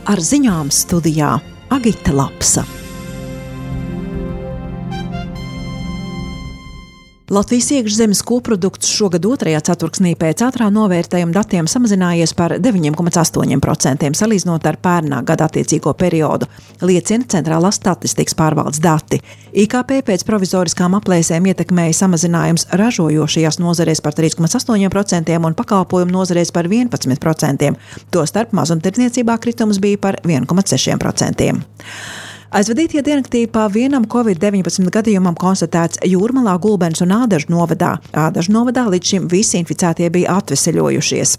Ar ziņām studijā Agita Lapsa. Latvijas iekšzemes koprodukts šogad otrajā ceturksnī pēc ātrā novērtējuma datiem samazinājies par 9,8% salīdzinot ar pērnā gada attiecīgo periodu, liecina Centrālās statistikas pārvaldes dati. IKP pēc provizoriskām aplēsēm ietekmēja samazinājums ražojošajās nozarēs par 3,8% un pakalpojumu nozarēs par 11%, tostarp mazumtirdzniecībā kritums bija par 1,6%. Aizvadītie diennaktī pa vienam Covid-19 gadījumam konstatēts Jūrmalā, Gulbenes un Ādažu novadā. Ādažu novadā līdz šim visi inficētie bija atveseļojušies.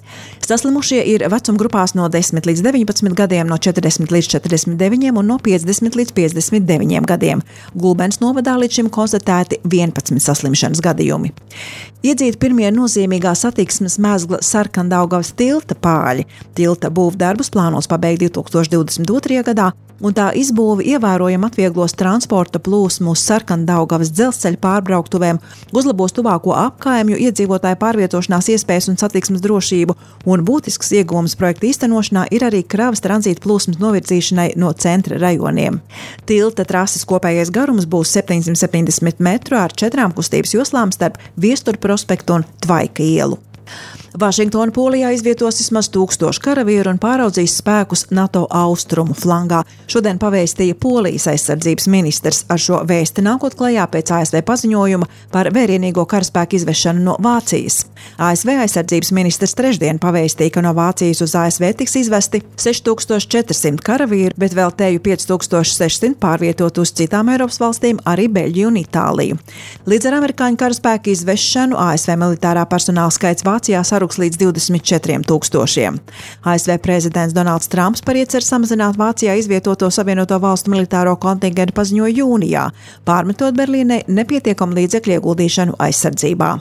Saslimušie ir vecuma grupās no 10 līdz 19 gadiem, no 40 līdz 49 un no 50 līdz 59 gadiem. Gulbenes novadā līdz šim konstatēti 11 saslimšanas gadījumi. Iedzīti pirmie nozīmīgā satiksmes mezgla Sarkandaugavas tilta pāļi. Tilta būvdarbus plānos pabeigt 2022. gadā, un tā izbūve ievērojami atvieglos transporta plūsmu uz Sarkandaugavas dzelzceļa pārbrauktuvēm, uzlabos tuvāko apkaimju iedzīvotāju pārvietošanās iespējas un satiksmes drošību, un būtisks iegūms projekta īstenošanā ir arī kravas tranzīta plūsmas novirzīšanai no centra rajoniem. Tilta trases kopējais garums būs 770 metru ar 4 kustības joslām starp Viestura prospektu un Tvaika ielu. Vašingtona Polijā izvietos vismaz 1000 karavīru un pāraudzīs spēkus NATO austrumu flangā. Šodien pavēstīja Polijas aizsardzības ministrs, ar šo vēsti nākot klajā pēc ASV paziņojuma par vērienīgo karaspēku izvešanu no Vācijas. ASV aizsardzības ministrs trešdien pavēstīja, ka no Vācijas uz ASV tiks izvesti 6400 karavīru, bet vēl teju 5600 pārvietot uz citām Eiropas valstīm, arī Beļģiju un Itāliju. Līdz ar amerikāņu karaspēku izvešanu ASV militārā personāla skaits Vācijā saruks līdz 24 000. ASV prezidents Donalds Trumps par ieceru samazināt Vācijā izvietoto Savienoto Valstu militāro kontingentu paziņoja jūnijā, pārmetot Berlīnei nepietiekamu līdzekļu ieguldīšanu aizsardzībā.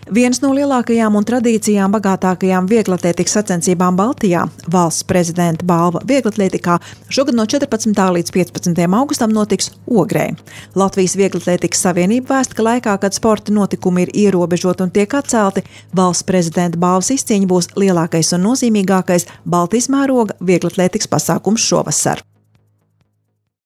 Viens no lielākajām un tradīcijām bagātākajām vieglatlētikas sacensībām Baltijā, valsts prezidenta balva vieglatlētikā, šogad no 14. līdz 15. augustam notiks Ogrē. Latvijas vieglatlētikas savienība vēsta, ka laikā, kad sporta notikumi ir ierobežoti un tiek atcelti, valsts prezidenta balvas izcīņa būs lielākais un nozīmīgākais Baltijas mēroga vieglatlētikas pasākums šovasar.